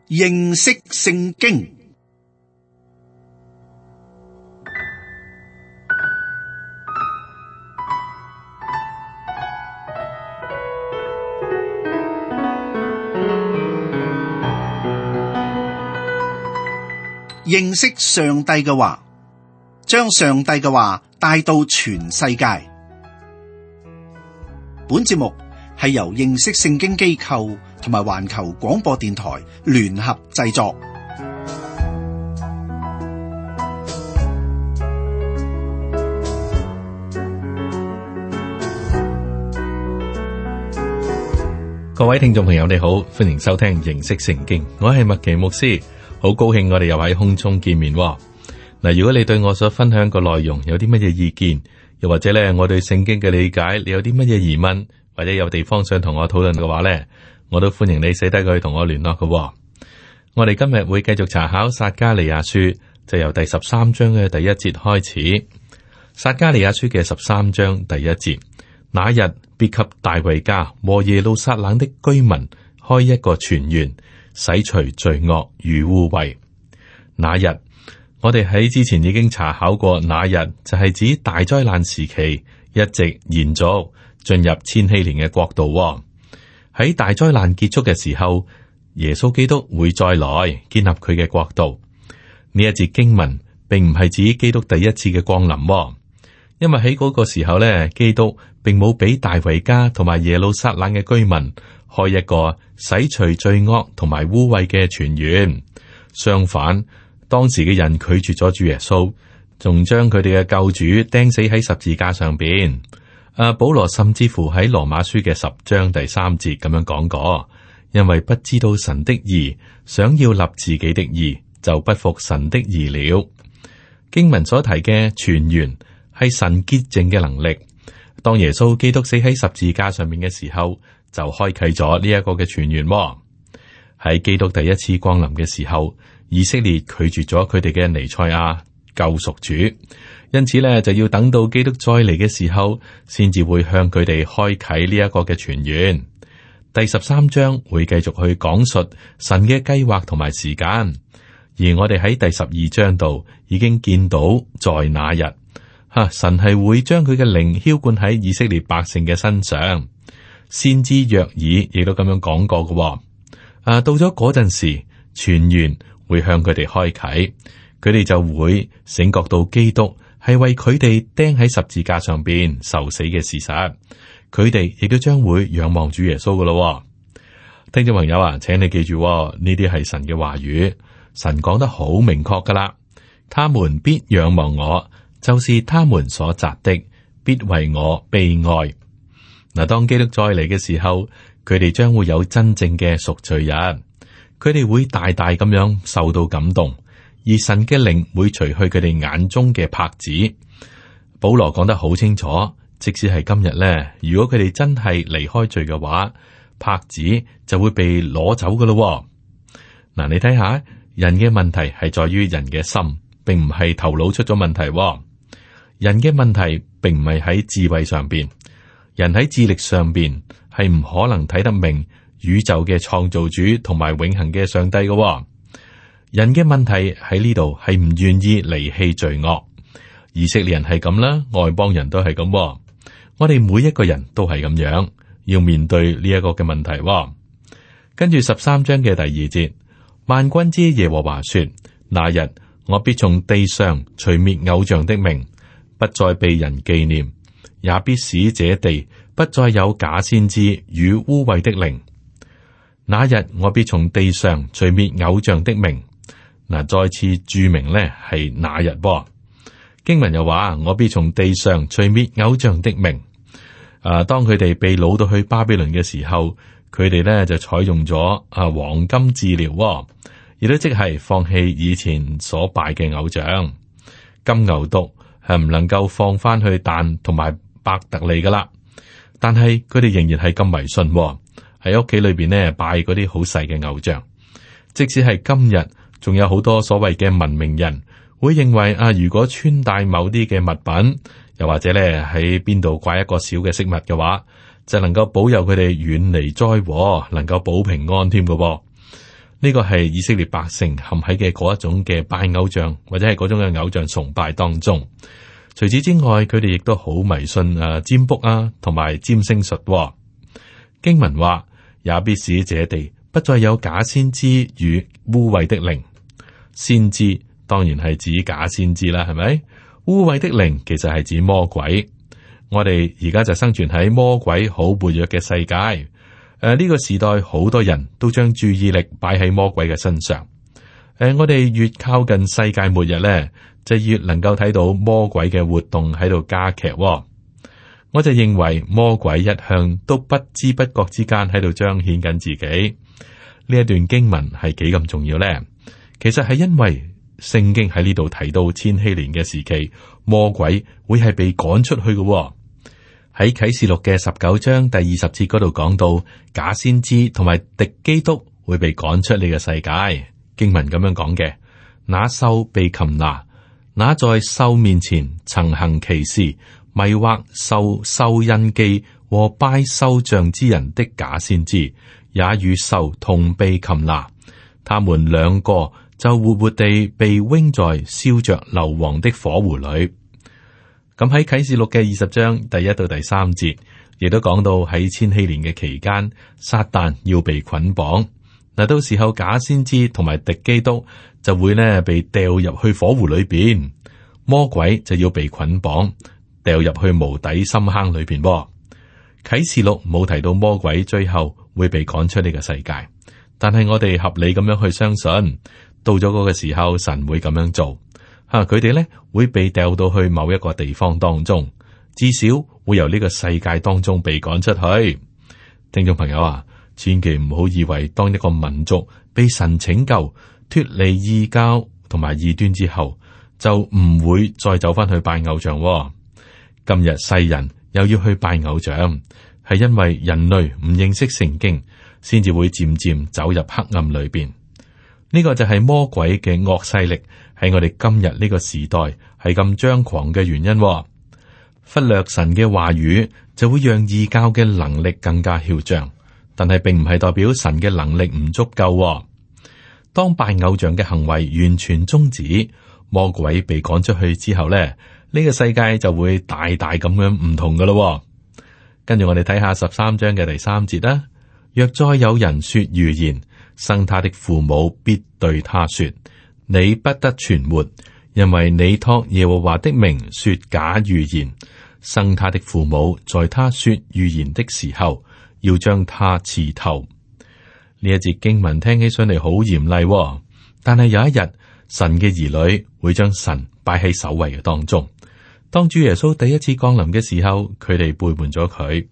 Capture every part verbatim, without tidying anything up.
認識聖經。認識上帝嘅話，將上帝嘅話帶到全世界。本節目係由認識聖經機構同埋環球廣播電台聯合製作。各位聽眾朋友，你好，歡迎收聽認識聖經。我係麥奇牧師，好高興我哋又喺空中見面。嗱，如果你對我所分享嘅內容有啲乜嘢意見，又或者咧我對聖經嘅理解，你有啲乜嘢疑問，或者有地方想同我討論嘅話咧，我都歡迎你寫低佢同我聯絡嘅。我哋今日會繼續查考撒迦利亞書，就由第十三章嘅第一節開始。撒迦利亞書嘅十三章第一節，那日必給大衛家和耶路撒冷的居民開一個泉源，洗除罪惡與污穢。那日，我哋喺之前已經查考過，那日就係指大災難時期，一直延續進入千禧年嘅國度。喺大災難結束嘅時候，耶穌基督會再來建立佢嘅國度。呢一節經文並唔係指基督第一次嘅降臨，因為喺嗰個時候咧，基督並冇俾大衛家同埋耶路撒冷嘅居民開一個洗除罪惡同埋污穢嘅泉源。相反，當時嘅人拒絕咗主耶穌，仲將佢哋嘅救主釘死喺十字架上邊。啊，保羅甚至乎喺羅馬書嘅十章第三節咁樣講過，因為不知道神的義，想要立自己的義，就不服神的義了。經文所提嘅泉源係神潔淨嘅能力。當耶穌基督死喺十字架上面嘅時候，就開啟咗呢一個嘅泉源。喺基督第一次降臨嘅時候，以色列拒絕咗佢哋嘅彌賽亞救贖主，因此咧就要等到基督再嚟嘅時候，先至會向佢哋開啟呢一個嘅泉源。第十三章會繼續去講述神嘅計劃同埋時間，而我哋喺第十二章度已經見到，在那日吓，神係會將佢嘅靈澆灌喺以色列百姓嘅身上。先知約珥亦都咁樣講過嘅。啊，到咗嗰陣時，泉源會向佢哋開啟，佢哋就會醒覺到基督係為佢哋釘喺十字架上邊受死嘅事實，佢哋亦都將會仰望主耶穌噶咯。聽眾朋友啊，請你記住，呢啲係神嘅話語，神講得好明確噶啦。他們必仰望我，就是他們所扎的，必為我悲哀。嗱，當基督再嚟嘅時候，佢哋將會有真正嘅贖罪日，佢哋會大大咁樣受到感動，而神嘅靈會除去佢哋眼中嘅帕子。保羅講得好清楚，即使係今日咧，如果佢哋真係離開罪嘅話，帕子就會被攞走噶咯。嗱，你睇下，人嘅問題係在於人嘅心，並唔係頭腦出咗問題。人嘅問題並唔係喺智慧上邊。人喺智力上邊係唔可能睇得明宇宙嘅創造主同埋永恆嘅上帝嘅。人嘅問題喺呢度係唔願意離棄罪惡。以色列人係咁啦，外邦人都係咁。我哋每一個人都係咁樣，要面對呢一個嘅問題。跟住十三章嘅第二節，萬軍之耶和華說：那日我必從地上除滅偶像的名，不再被人紀念。也必使這地不再有假先知與污穢的靈。那日我必從地上除滅偶像的名。嗱，再次注明呢係那日噃。經文又話：我必從地上除滅偶像的名。啊，當佢哋被擄到去巴比倫嘅時候，佢哋呢就採用咗啊黃金治療，亦都即係放棄以前所拜嘅偶像。金牛犢係唔能夠放翻去但同埋伯特利噶啦，但係佢哋仍然係咁迷信，喺屋企裏邊呢拜嗰啲好細嘅偶像。即使係今日，仲有好多所謂嘅文明人會認為啊，如果穿戴某啲嘅物品，又或者咧喺邊度掛一個小嘅飾物嘅話，就能夠保佑佢哋遠離災禍，能夠保平安添嘅。呢個係以色列百姓陷喺嘅嗰一種嘅拜偶像或者係嗰種嘅偶像崇拜當中。除此之外，佢哋亦都好迷信啊占卜啊同埋占星術、哦。經文話，也必使這地不再有假先知與污穢的靈。先知當然係指假先知啦，係咪？污穢的靈其實係指魔鬼。我哋而家就生存喺魔鬼好活躍嘅世界。誒、呃，呢、這個時代好多人都將注意力擺喺魔鬼嘅身上。誒、呃，我哋越靠近世界末日咧，就越能夠睇到魔鬼嘅活動喺度加劇、哦。我就認為魔鬼一向都不知不覺之間喺度彰顯緊自己。呢一段經文係幾咁重要咧？其實係因為聖經喺呢度提到千禧年嘅時期，魔鬼會係被趕出去嘅、哦。喺啟示錄嘅十九章第二十節嗰度講到，假先知同埋敵基督會被趕出呢個世界。經文咁樣講嘅，那獸被擒拿，那在獸面前曾行奇事，迷惑受獸印記和拜獸像之人的假先知，也與獸同被擒拿。他們兩個就活活地被扔在燒着硫磺的火湖裏。咁喺啟示錄嘅二十章第一到第三節，亦都講到喺千禧年嘅期間，撒旦要被捆綁。嗱，到時候假先知同埋敵基督就會呢被掉入去火湖裏邊，魔鬼就要被捆綁，掉入去無底深坑裏邊。啟示錄冇提到魔鬼最後會被趕出呢個世界，但係我哋合理咁樣去相信，到咗嗰個時候，神會咁樣做。吓，佢哋咧會被掉到去某一個地方當中，至少會由呢個世界當中被趕出去。聽眾朋友啊，千祈唔好以為當一個民族被神拯救脫離異教同埋異端之後，就唔會再走翻去拜偶像。今日世人又要去拜偶像，係因為人類唔認識聖經，先至會漸漸走入黑暗裏邊。呢個就係魔鬼嘅惡勢力喺我哋今日呢個時代係咁張狂嘅原因。忽略神嘅話語，就會讓異教嘅能力更加囂張，但係並唔係代表神嘅能力唔足夠。當拜偶像嘅行為完全終止，魔鬼被趕出去之後咧，呢個世界就會大大咁樣唔同噶咯。跟住我哋睇下十三章嘅第三節啦。若再有人說預言，生他的父母必對他說：你不得存活，因為你託耶和華的名說假預言。生他的父母在他說預言的時候，要將他刺透。呢一節經文聽起上嚟好嚴厲，但係有一日，神嘅兒女會將神擺喺首位嘅當中。當主耶穌第一次降臨嘅時候，佢哋背叛咗佢。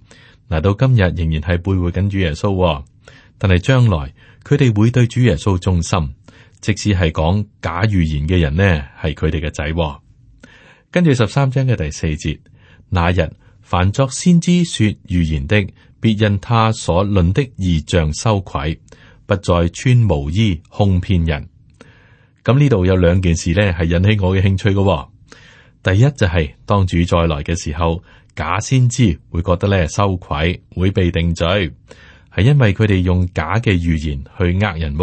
嗱，到今日仍然係背叛緊主耶穌，但係將來佢哋會對主耶穌忠心，即使係講假預言嘅人呢，係佢哋嘅仔。跟住十三章嘅第四節，那日凡作先知說預言的，必因他所論的異象羞愧，不再穿毛衣哄騙人。咁呢度有兩件事呢，係引起我嘅興趣嘅。第一就係、是、當主再來嘅時候，假先知會覺得咧羞愧，會被定罪，係因為佢哋用假嘅預言去呃人。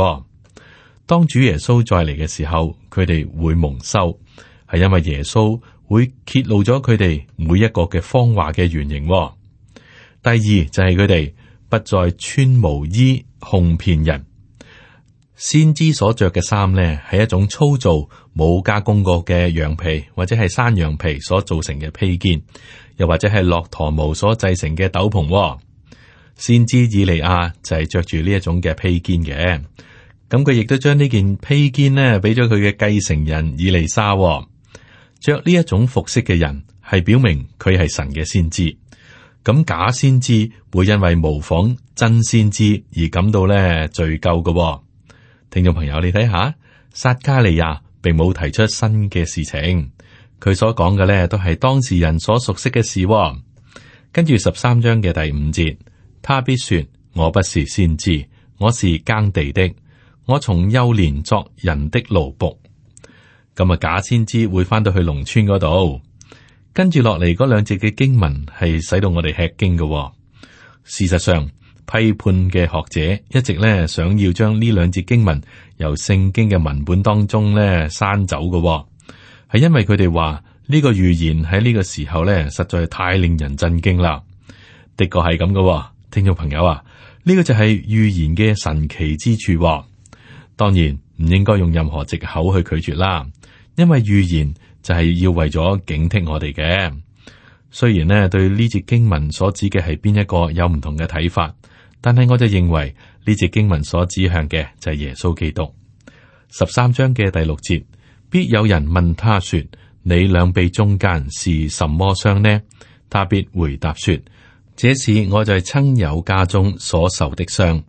當主耶穌再嚟嘅時候，佢哋會蒙羞，係因為耶穌會揭露咗佢哋每一個嘅謊話嘅原型。第二就係佢哋不再穿毛衣哄騙人。先知所着嘅衫呢，係一種粗糙冇加工過嘅羊皮或者係山羊皮所造成嘅披肩，又或者係駱駝毛所製成嘅斗篷。先知以利亞就係着住呢一種嘅披肩嘅，咁佢亦都將呢件披肩呢俾咗佢嘅繼承人以利沙。着呢一種服飾嘅人係表明佢係神嘅先知。咁假先知會因為模仿真先知而感到咧罪疚嘅。聽眾朋友，你睇下，撒迦利亞並冇提出新嘅事情，佢所講嘅咧都係當時人所熟悉嘅事。跟住十三章嘅第五節，他必說：我不是先知，我是耕地的，我從幼年作人的奴僕。咁啊，假先知會翻到去農村嗰度。跟住落嚟嗰兩節嘅經文係使到我哋吃驚嘅。事實上，批判嘅學者一直咧想要將呢兩節經文由聖經嘅文本當中咧刪走嘅，係因為佢哋話呢個預言喺呢個時候咧實在太令人震驚啦。的確係咁嘅，聽眾朋友啊，呢個就係預言嘅神奇之處。當然唔應該用任何藉口去拒絕啦，因為預言就係要為咗警惕我哋嘅。雖然呢對呢節經文所指嘅係邊一個有唔同嘅睇法，但係我就認為呢節經文所指向嘅就係耶穌基督。十三章嘅第六節，必有人問他說：你兩臂中間是什麼傷呢？他必回答說：這是我在親友家中所受的傷。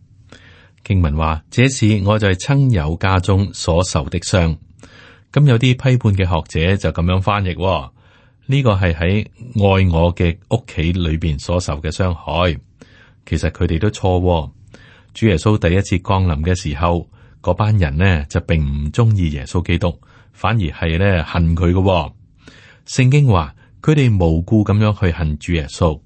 經文話：這是我在親友家中所受的傷。咁有啲批判嘅學者就咁樣翻譯，呢個係喺愛我嘅屋企裏邊所受嘅傷害。其實佢哋都錯。主耶穌第一次降臨嘅時候，嗰班人呢就並唔中意耶穌基督，反而係咧恨佢嘅。聖經話佢哋無故咁樣去恨主耶穌。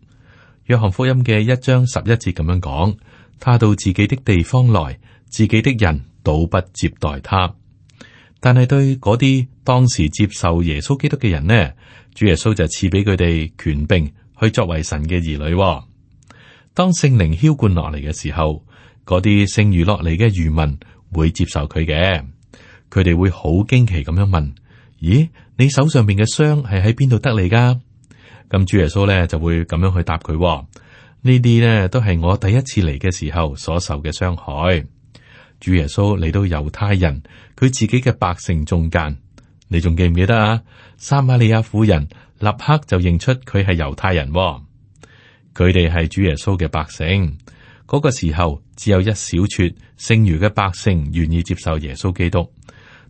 約翰福音嘅一章十一節咁樣講：他到自己的地方來，自己的人倒不接待他。但係對嗰啲當時接受耶穌基督嘅人呢，主耶穌就賜俾佢哋權柄去作為神嘅兒女。當聖靈澆灌落嚟嘅時候，嗰啲剩餘落嚟嘅餘民會接受佢嘅。佢哋會好驚奇咁樣問：咦，你手上邊嘅傷係喺邊度得嚟噶？咁主耶穌咧就會咁樣去答佢：呢啲呢都係我第一次嚟嘅時候所受嘅傷害。主耶穌嚟到猶太人佢自己嘅百姓中間，你仲記唔記得啊？撒瑪利亞婦人立刻就認出佢係猶太人，佢哋係主耶穌嘅百姓。嗰個時候只有一小撮剩餘嘅百姓願意接受耶穌基督。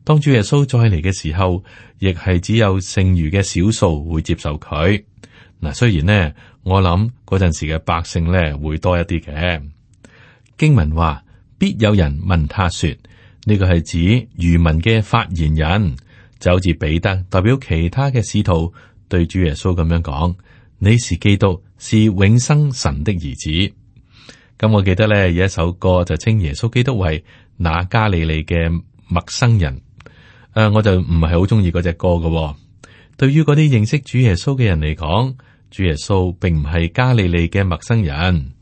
當主耶穌再嚟嘅時候，亦係只有剩餘嘅少數會接受佢。嗱，雖然呢，我諗嗰陣時嘅百姓呢會多一啲嘅。經文話，必有人問他說，呢個係指餘民嘅發言人，就好似彼得代表其他嘅使徒對主耶穌咁樣講：你是基督，是永生神的兒子。咁我記得咧有一首歌就稱耶穌基督為那加利利嘅陌生人。誒、呃，我就唔係好中意嗰隻歌嘅、哦。對於嗰啲認識主耶穌嘅人嚟講，主耶穌並唔係加利利嘅陌生人。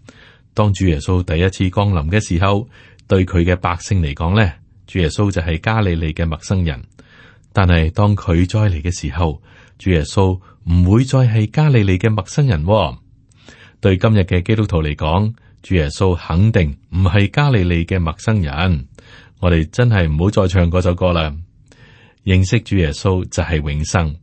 當主耶穌第一次降臨嘅時候，對佢嘅百姓嚟講咧，主耶穌就係加利利嘅陌生人。但係當佢再嚟嘅時候，主耶穌唔會再係加利利嘅陌生人、哦。對今日嘅基督徒嚟講，主耶穌肯定唔係加利利嘅陌生人。我哋真係唔好再唱嗰首歌啦。認識主耶穌就係永生。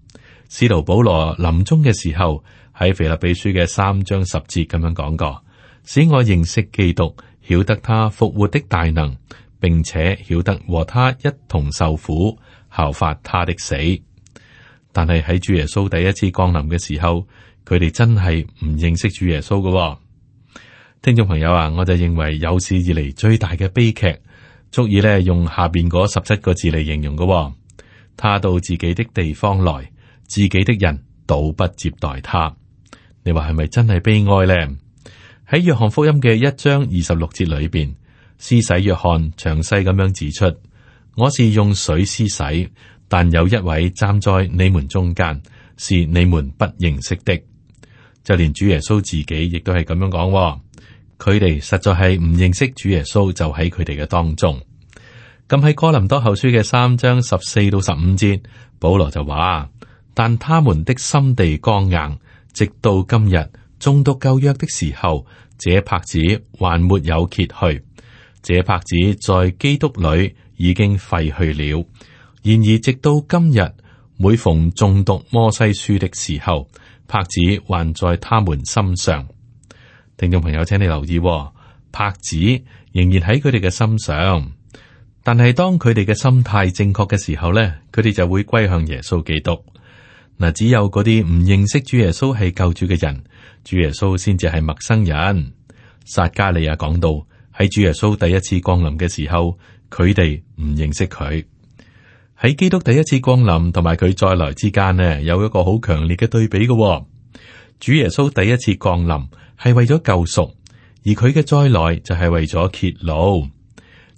使徒保羅臨終嘅時候喺腓立比書嘅三章十節咁樣講過：使我認識基督，曉得他復活的大能，並且曉得和他一同受苦，效法他的死。但係喺主耶穌第一次降臨嘅時候，佢哋真係唔認識主耶穌嘅、哦。聽眾朋友啊，我就認為有史以嚟最大嘅悲劇，足以咧用下邊嗰十七個字嚟形容嘅、哦。他到自己的地方來，自己的人倒不接待他。你話係咪真係悲哀呢？喺約翰福音嘅一章二十六節裏邊，施洗約翰詳細咁樣指出：我是用水施洗，但有一位站在你們中間，是你們不認識的。就連主耶穌自己亦都係咁樣講，佢哋實在係唔認識主耶穌，就喺佢哋嘅當中。咁喺哥林多後書嘅三章十四到十五節，保羅就話：但他們的心地剛硬，直到今日，誦讀舊約的時候，這帕子還沒有揭去。這帕子在基督裏已經廢去了。然而直到今日，每逢誦讀摩西書的時候，帕子還在他們心上。聽眾朋友，請你留意，帕子仍然喺佢哋嘅心上。但係當佢哋嘅心態正確嘅時候咧，佢哋就會歸向耶穌基督。嗱，只有嗰啲唔認識主耶穌係救主嘅人，主耶穌先至係陌生人。撒加利亞講到喺主耶穌第一次降臨嘅時候，佢哋唔認識佢。喺基督第一次降臨同埋佢再來之間呢，有一個好強烈嘅對比嘅。主耶穌第一次降臨係為咗救贖，而佢嘅再來就係為咗揭露。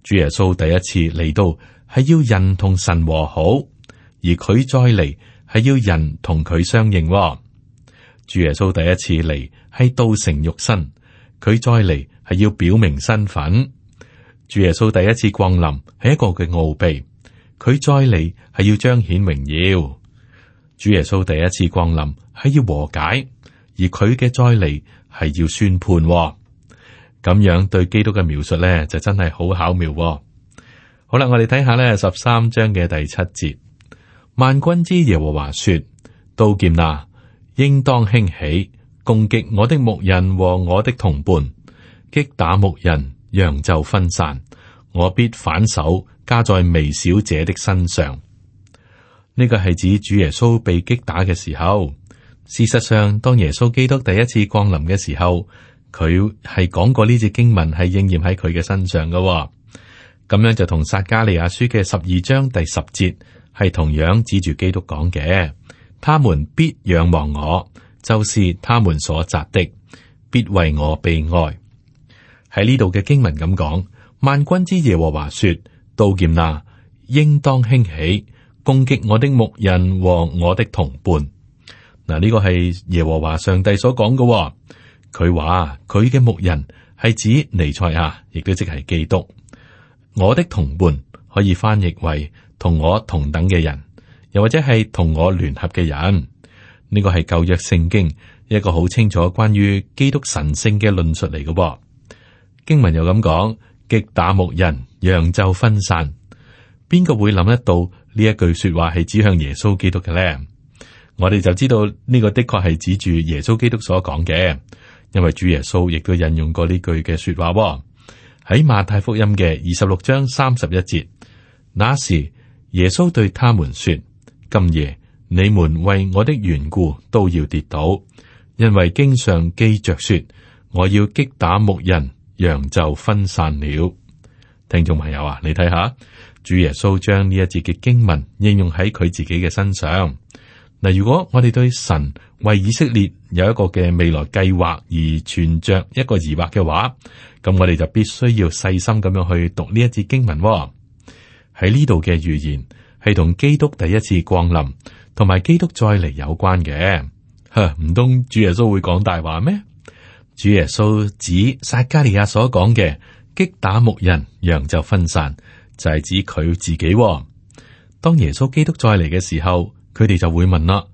主耶穌第一次嚟到係要人同神和好，而佢再嚟係要人同佢相應。主耶穌第一次嚟係道成肉身，佢再嚟係要表明身份。主耶穌第一次降臨係一個嘅奧秘，佢再嚟係要彰顯榮耀。主耶穌第一次降臨係要和解，而佢嘅再嚟係要宣判。咁樣對基督嘅描述咧，就真係好巧妙。好啦，我哋睇下咧十三章嘅第七節，萬軍之耶和華說：刀劍哪，應當興起，攻擊我的牧人和我的同伴，擊打牧人，羊就分散。我必反手加在微小者的身上。呢個係指主耶穌被擊打嘅時候。事實上，當耶穌基督第一次降臨嘅時候，佢係講過呢節經文係應驗喺佢嘅身上嘅。咁樣就同撒迦利亞書嘅十二章第十節係同樣指住基督講嘅。他們必仰望我，就是他們所扎的，必為我悲哀。喺呢度嘅經文咁講，萬軍之耶和華說：刀劍哪，應當興起，攻擊我的牧人和我的同伴。嗱，呢個係耶和華上帝所講嘅。佢話佢嘅牧人係指彌賽亞，亦都即係基督。我的同伴可以翻譯為同我同等嘅人，又或者係同我聯合嘅人。呢個係舊約聖經一個好清楚關於基督神聖嘅論述嚟嘅。經文又咁講：擊打牧人，羊就分散。邊個會諗得到呢一句說話係指向耶穌基督嘅咧？我哋就知道呢個的確係指住耶穌基督所講嘅。因為主耶穌亦都引用過呢句嘅說話喎，喺馬太福音嘅二十六章三十一節，那時耶穌對他們說：今夜你們為我的緣故都要跌倒，因為經上記着說，我要擊打牧人，羊就分散了。聽眾朋友啊，你睇下，主耶穌將呢一節嘅經文應用喺佢自己嘅身上。嗱，如果我哋對神為以色列有一個嘅未來計劃而存着一個疑惑嘅話，咁我哋就必須要細心咁樣去讀呢一節經文。喺呢度嘅預言係同基督第一次降臨同埋基督再嚟有關嘅。吓，唔通主耶穌會講大話咩？主耶穌指撒迦利亞所講嘅擊打牧人，羊就分散，就係指佢自己。當耶穌基督再嚟嘅時候，佢哋就會問啦：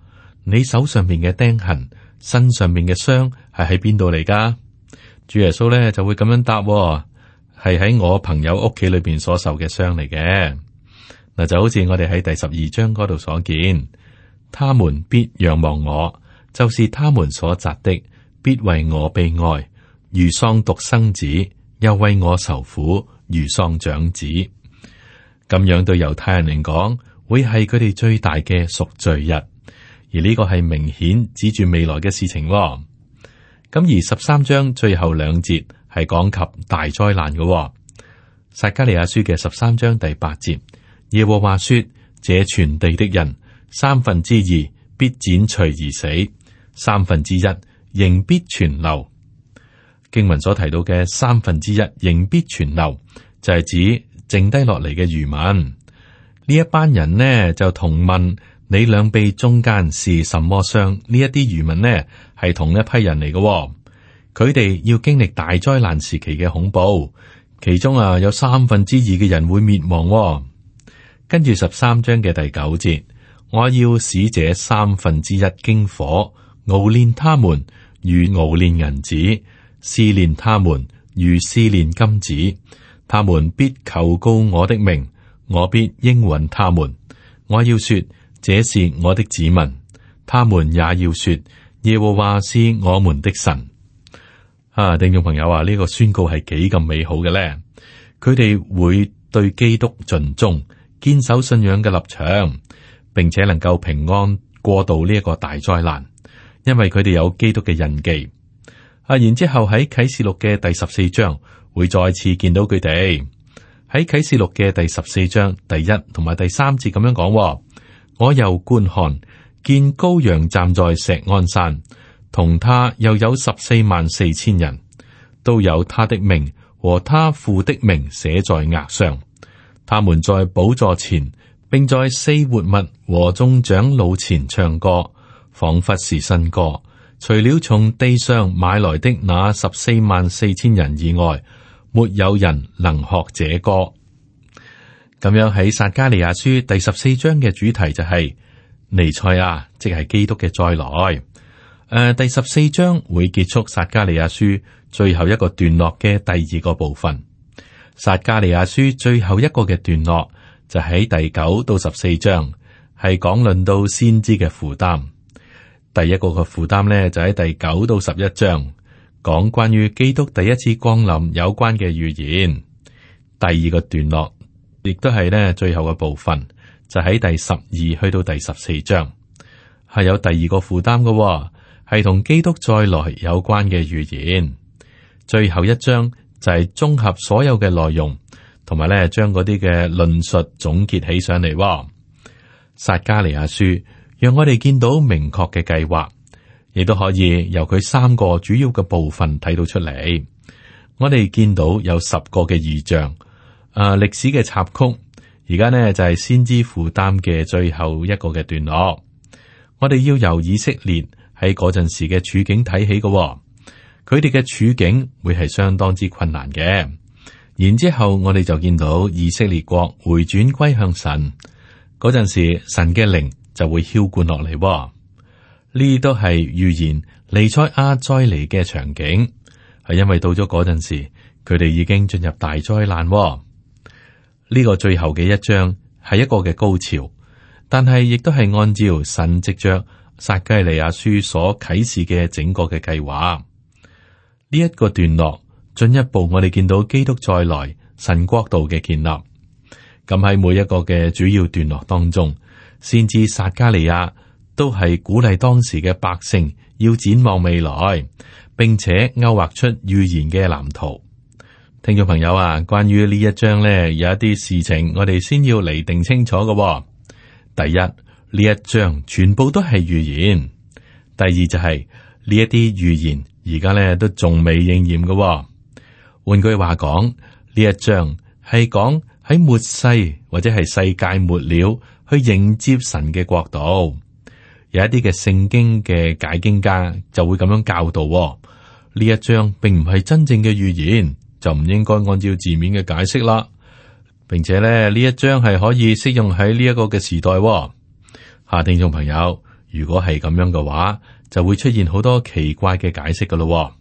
你手上面嘅釘痕，身上面嘅傷係喺邊度嚟噶？主耶穌咧就會咁樣答：係喺我朋友屋企裏邊所受嘅傷嚟嘅。嗱，就好似我哋喺第十二章嗰度所見，他們必仰望我，就是他們所扎的，必為我悲哀，如喪獨生子，又為我受苦，如喪長子。咁樣對猶太人嚟講，會係佢哋最大嘅贖罪日，而呢個係明顯指住未來嘅事情。咁而十三章最後兩節係講及大災難嘅。撒迦利亞書嘅十三章第八節，耶和華說：這全地的人三分之二必剪除而死，三分之一仍必存留。經文所提到嘅三分之一仍必存留，就係指剩低落嚟嘅餘民。呢一班人呢就同問你兩臂中間是什麼傷？呢一啲餘民呢係同一批人嚟嘅，佢哋要經歷大災難時期嘅恐怖，其中啊有三分之二嘅人會滅亡。跟住十三章嘅第九節，我要使這三分之一經火熬煉他們，如熬煉銀子；試煉他們，如試煉金子。他們必求告我的名，我必應允他們。我要說，這是我的子民，他們也要說，耶和華是我們的神。啊，聽眾朋友啊，呢、這個宣告係幾咁美好嘅咧？佢哋會對基督盡忠，堅守信仰嘅立場，並且能夠平安過渡呢一個大災難，因為佢哋有基督嘅印記。啊，然之後喺啟示錄嘅第十四章會再次見到佢哋。喺啟示錄嘅第十四章第一同埋第三節咁樣講，我又觀看，見羔羊站在錫安山，同他又有十四萬四千人，都有他的名和他父的名寫在額上。他們在寶座前，並在四活物和眾長老前唱歌，仿佛是新歌。除了從地上買來的那十四萬四千人以外，沒有人能學這歌。咁樣喺撒迦利亞書第十四章嘅主題就係、是、彌賽亞，即係基督嘅再來。誒、呃，第十四章會結束撒迦利亞書最後一個段落嘅第二個部分。撒迦利亞書最後一個嘅段落就喺第九到十四章，係講論到先知嘅負擔。第一個嘅負擔呢，就喺第九到十一章，講關於基督第一次降臨有關嘅預言。第二個段落亦都係呢最後嘅部分，就喺第十二去到第十四章，係有第二個負擔嘅，係同基督再來有關嘅預言。最後一章就係綜合所有嘅內容，同埋咧將嗰啲嘅論述總結起上嚟。撒迦利亞書讓我哋見到明確嘅計劃，亦都可以由佢三個主要嘅部分睇到出嚟。我哋見到有十個嘅異象，誒、呃，歷史嘅插曲。而家呢就係先知負擔嘅最後一個嘅段落。我哋要由以色列喺嗰陣時嘅處境睇起嘅。佢哋嘅處境會係相當之困難嘅，然之後我哋就見到以色列國回轉歸向神嗰陣時，神嘅靈就會澆灌落嚟。呢啲都係預言彌賽亞再嚟嘅場景，係因為到咗嗰陣時，佢哋已經進入大災難。呢個最後嘅一章係一個嘅高潮，但係亦都係按照神藉着撒迦利亞書所啟示嘅整個嘅計劃。呢一個段落進一步，我哋見到基督再來，神國度嘅建立。咁喺每一個嘅主要段落當中，先知撒迦利亞都係鼓勵當時嘅百姓要展望未來，並且勾畫出預言嘅藍圖。聽眾朋友啊，關於呢一章呢，有一啲事情我哋先要釐定清楚嘅。第一，呢一章全部都係預言；第二就係呢一啲預言。而家咧都仲未應驗嘅、哦。換句話講，呢一章係講喺末世或者係世界末了去迎接神嘅國度。有一啲嘅聖經嘅解經家就會咁樣教導、哦。呢一章並唔係真正嘅預言，就唔應該按照字面嘅解釋啦。並且咧呢一章係可以適用喺呢一個嘅時代、哦。下聽眾朋友，如果係咁樣嘅話，就會出現好多奇怪嘅解釋噶咯。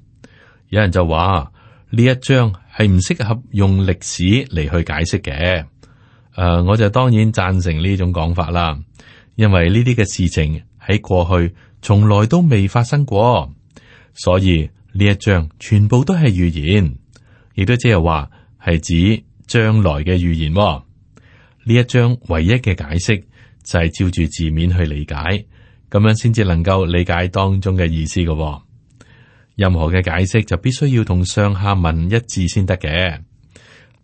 有人就話呢一章係唔適合用歷史嚟去解釋嘅。誒、呃，我就當然贊成呢種講法啦，因為呢啲嘅事情喺過去從來都未發生過，所以呢一章全部都係預言，亦都即係話係指將來嘅預言。呢一章唯一嘅解釋就係照住字面去理解。咁樣先至能夠理解當中嘅意思嘅、哦。任何嘅解釋就必須要同上下文一致先得嘅。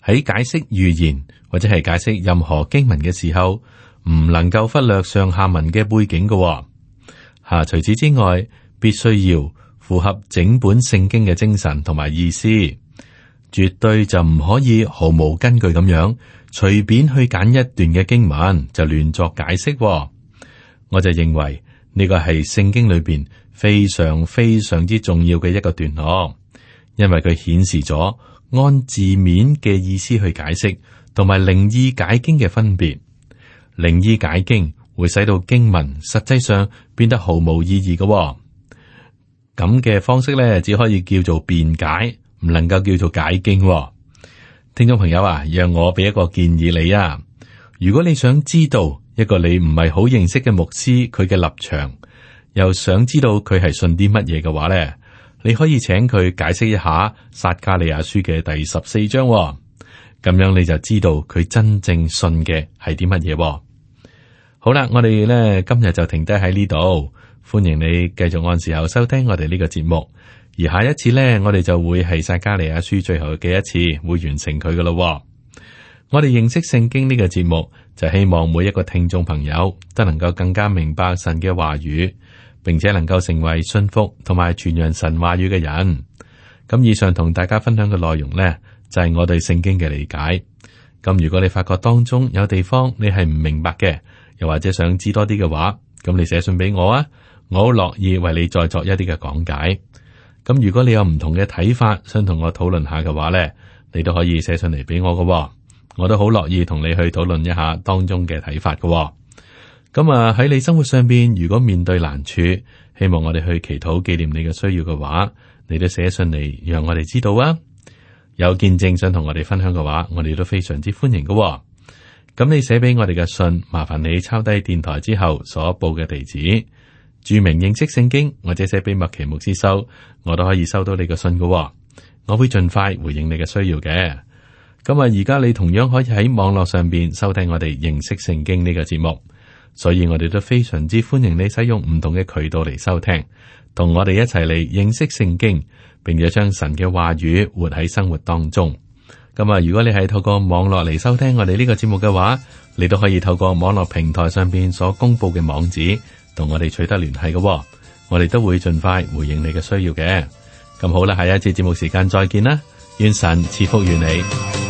喺解釋預言或者係解釋任何經文嘅時候，唔能夠忽略上下文嘅背景嘅、哦。吓、啊，除此之外，必須要符合整本聖經嘅精神同埋意思，絕對就唔可以毫無根據咁樣隨便去揀一段嘅經文就亂作解釋、哦。我就認為。呢個係聖經裏邊非常非常之重要嘅一個段落，因為佢顯示咗按字面嘅意思去解釋，同埋靈意解經嘅分別。靈意解經會使到經文實際上變得毫無意義嘅、哦，咁嘅方式咧只可以叫做辯解，唔能夠叫做解經、哦。聽眾朋友啊，讓我俾一個建議你啊，如果你想知道。一個你唔係好認識嘅牧師，佢嘅立場，又想知道佢係信啲乜嘢嘅話咧，你可以請佢解釋一下撒迦利亞書嘅第十四章、哦，咁樣你就知道佢真正信嘅係啲乜嘢。好啦，我哋咧今日就停低喺呢度，歡迎你繼續按時候收聽我哋呢個節目，而下一次咧，我哋就會係撒迦利亞書最後嘅一次，會完成佢噶咯。我哋認識聖經呢個節目，就希望每一個聽眾朋友都能夠更加明白神嘅話語，並且能夠成為信服同埋傳揚神話語嘅人。咁咁以上同大家分享嘅內容呢，就係我對聖經嘅理解。咁如果你發覺當中有地方你係唔明白嘅，又或者想知多啲嘅話，咁你寫信俾我啊，我好樂意為你再作一啲嘅講解。咁如果你有唔同嘅睇法，想同我討論下嘅話呢，你都可以寫信嚟俾我㗎，我都好樂意同你去討論一下當中嘅睇法㗎。咁啊喺你生活上邊，如果面對難處，希望我哋去祈禱紀念你嘅需要嘅話，你都寫信嚟讓我哋知道啊。有見證想同我哋分享嘅話，我哋都非常之歡迎㗎。咁你寫俾我哋嘅信，麻煩你抄低電台之後所報嘅地址，注明認識聖經，或者寫俾麥奇牧師收，我都可以收到你嘅信㗎。我會盡快回應你嘅需要嘅。咁啊，而家你同樣可以喺網絡上邊收聽我哋認識聖經呢個節目，所以我哋都非常之歡迎你使用唔同嘅渠道嚟收聽，同我哋一齊嚟認識聖經，並且將神嘅話語活喺生活當中。咁啊，如果你係透過網絡嚟收聽我哋呢個節目嘅話，你都可以透過網絡平台上邊所公布嘅網址，同我哋取得聯繫嘅。我哋都會盡快回應你嘅需要嘅。咁好啦，下一次節目時間再見啦，願神賜福於你。